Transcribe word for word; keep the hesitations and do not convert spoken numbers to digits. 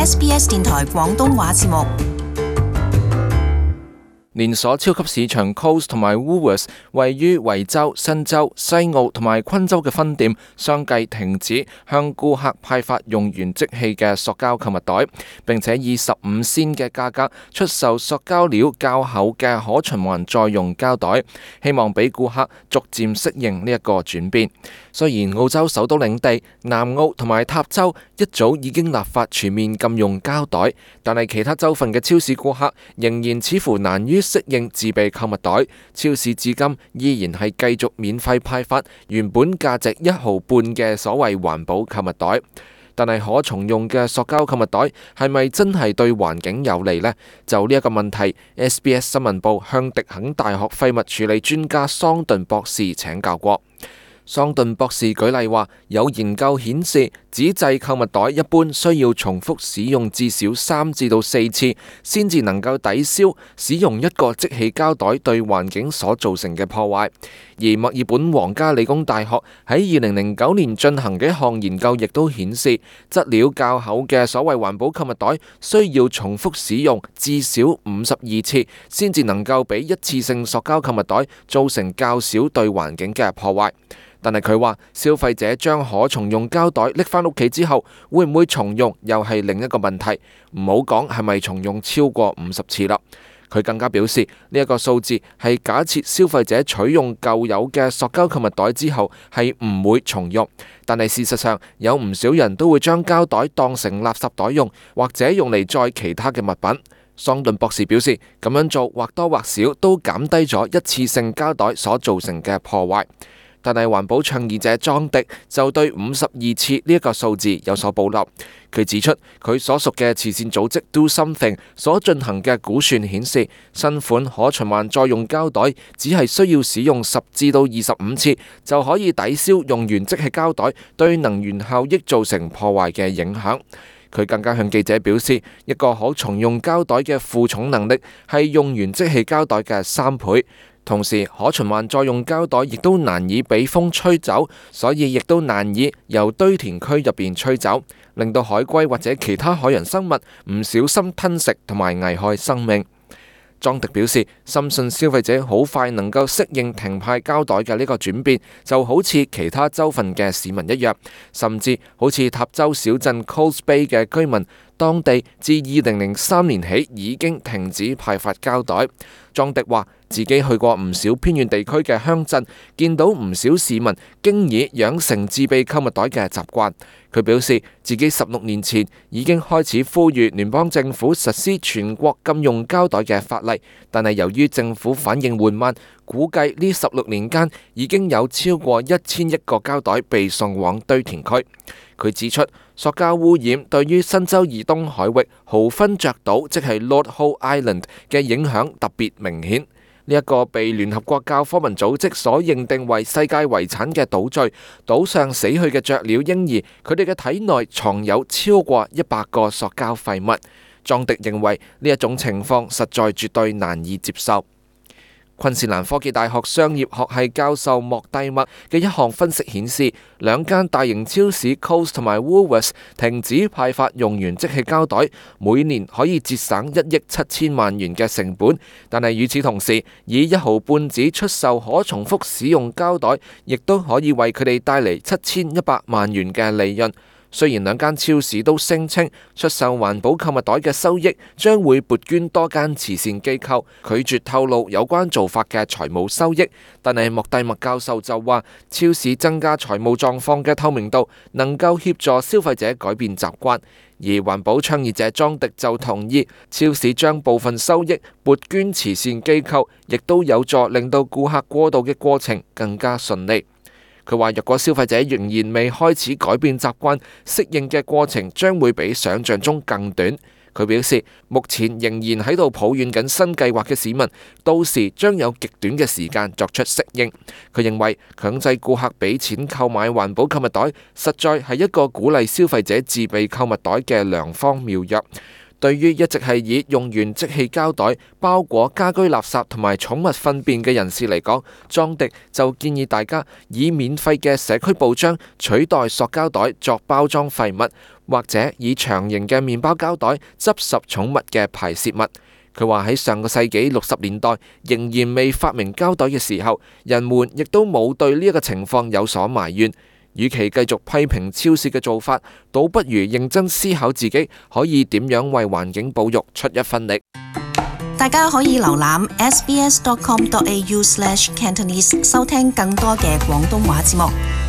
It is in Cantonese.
S B S 電台廣東話節目。連鎖超級市場 Coles 同埋 Woolworths 位於維州、新州、西澳同埋昆州嘅分店相繼停止向顧客派發用完即棄嘅塑膠購物袋，並且以十五仙嘅價格出售塑膠料較厚嘅可循環再用膠袋，希望俾顧客逐漸適應呢一個轉變。雖然澳洲首都領地、南澳同埋塔州一早已經立法全面禁用膠袋，但係其他州份嘅超市顧客仍然似乎難於適應自備購物袋，超市至今依然係繼續免費派發原本價值一毫半嘅所謂環保購物袋。但係可重用嘅塑膠購物袋係咪真係對環境有利呢？就呢一個問題 ，S B S 新聞部向迪肯大學廢物處理專家桑頓博士請教過。桑頓博士舉例話，有研究顯示，紙製購物袋一般需要重複使用至少三至到四次，先至能夠抵消使用一個即棄膠袋對環境所造成嘅破壞。而墨爾本皇家理工大學喺二零零九年進行嘅一項研究，亦都顯示，質料較厚嘅所謂環保購物袋需要重複使用至少五十二次，先至能夠比一次性塑膠購物袋造成較少對環境嘅破壞。但係佢話，消費者將可重用膠袋拎返屋企之後，會唔會重用又係另一個問題。唔好講係咪重用超過五十次啦。佢更加表示，呢一個數字係假設消費者取用舊有嘅塑膠購物袋之後係唔會重用，但係事實上有唔少人都會將膠袋當成垃圾袋用，或者用嚟載其他嘅物品。桑頓博士表示，咁樣做或多或少都減低咗一次性膠袋所造成嘅破壞。但係環保倡議者莊迪就對五十二次呢一個數字有所保留。佢指出，佢所屬嘅慈善組織 Do Something 所進行嘅估算顯示，新款可循環再用膠袋只係需要使用十至到二十五次，就可以抵消用完即棄膠袋對能源效益造成破壞嘅影響。佢更加向記者表示，一個可重用膠袋嘅負重能力係用完即棄膠袋嘅三倍。同時，可循環再用膠袋亦都難以俾風吹走，所以亦都難以由堆填區入邊吹走，令到海龜或者其他海洋生物唔小心吞食同埋危害生命。莊迪表示，深信消費者好快能夠適應停派膠袋嘅呢個轉變，就好似其他州份嘅市民一樣，甚至好似塔州小鎮 Coles Bay 嘅居民，當地自二零零三年起已經停止派發膠袋。莊迪話自己去過唔少偏遠地區嘅鄉鎮，見到唔少市民經已養成自備購物袋嘅習慣。佢表示自己十六年前已經開始呼籲聯邦政府實施全國禁用膠袋嘅法例，但係由於政府反應緩慢，估計呢十六年間已經有超過一千億個膠袋被送往堆填區。佢指出，塑膠污染對於新州以東海域豪芬爵島，即係 Lord Howe Island 嘅影響特別明顯。呢一個被聯合國教科文組織所認定為世界遺產嘅島嶼，島上死去嘅雀鳥嬰兒，佢哋嘅體內藏有超過一百個塑膠廢物。莊迪認為呢一種情況實在絕對難以接受。昆士蘭科技大學商業學系教授莫蒂默嘅一項分析顯示，兩間大型超市 Coles 同埋 Woolworths 停止派發用完即棄膠袋，每年可以節省一億七千萬元嘅成本。但係與此同時，以一毫半紙出售可重複使用膠袋，亦都可以為佢哋帶嚟七千一百萬元嘅利潤。雖然兩間超市都聲稱出售環保購物袋嘅收益將會撥捐多間慈善機構，拒絕透露有關做法嘅財務收益，但係莫蒂默教授就話，超市增加財務狀況嘅透明度，能夠協助消費者改變習慣。而環保倡議者莊迪就同意，超市將部分收益撥捐慈善機構，亦都有助令到顧客過渡嘅過程更加順利。佢話：若果消費者仍然未開始改變習慣，適應嘅過程將會比想象中更短。佢表示，目前仍然喺度抱怨緊新計劃嘅市民，到時將有極短嘅時間作出適應。佢認為強制顧客俾錢購買環保購物袋，實在係一個鼓勵消費者自備購物袋嘅良方妙藥。對於一直係以用完即棄膠袋包裹家居垃圾同埋寵物糞便嘅人士嚟講，莊迪就建議大家以免費嘅社區報章取代塑膠袋作包裝廢物，或者以長形嘅麵包膠袋執拾寵物嘅排泄物。佢話喺上個世紀六十年代仍然未發明膠袋嘅時候，人們亦都冇對呢一個情況有所埋怨。與其繼續批評超市嘅做法，倒不如認真思考自己可以點樣為環境保育出一分力。大家可以瀏覽 s b s dot com dot a u slash cantonese 收聽更多嘅廣東話節目。